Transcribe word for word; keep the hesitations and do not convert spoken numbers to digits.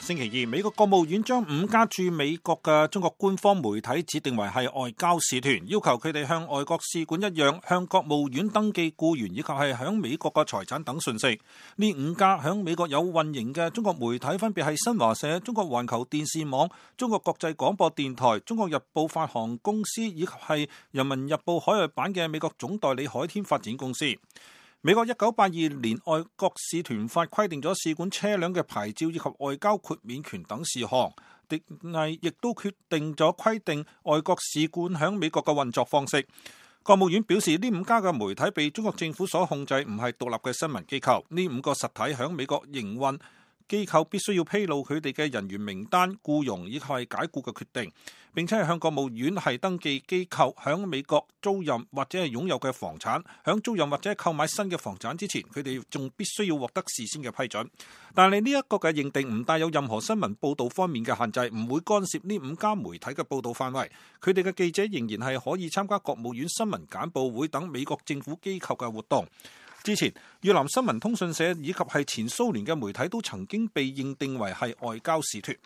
星期二，美國國務院將五家駐美國嘅中國官方媒體指定為係外交使團，要求佢哋向外國使館一樣向國務院登記僱員以及係響美國嘅財產等信息。呢五家響美國有運營嘅中國媒體分別係新華社、中國環球電視網、中國國際廣播電台、中國日報發行公司以及係人民日報海外版嘅美國總代理海天發展公司。美國一九八二年外國使團法規定咗使館車輛嘅牌照以及外交豁免權等事項，定係亦都決定咗規定外國使館響美國嘅運作方式。國務院表示，呢五家嘅媒體被中國政府所控制，唔係獨立嘅新聞機構。呢五個實體響美國營運，機構必須要披露佢哋嘅人員名單、僱傭以及係解僱嘅決定，並且係向國務院係登記機構響美國租賃或者係擁有嘅房產。響租賃或者購買新嘅房產之前，佢哋仲必須要獲得事先嘅批准。但係呢一個嘅認定唔帶有任何新聞報導方面嘅限制，唔會干涉呢五家媒體嘅報導範圍。佢哋嘅記者仍然係可以參加國務院新聞簡報會等美國政府機構嘅活動。之前，越南新聞通訊社以及係前蘇聯嘅媒體都曾經被認定為係外交使團。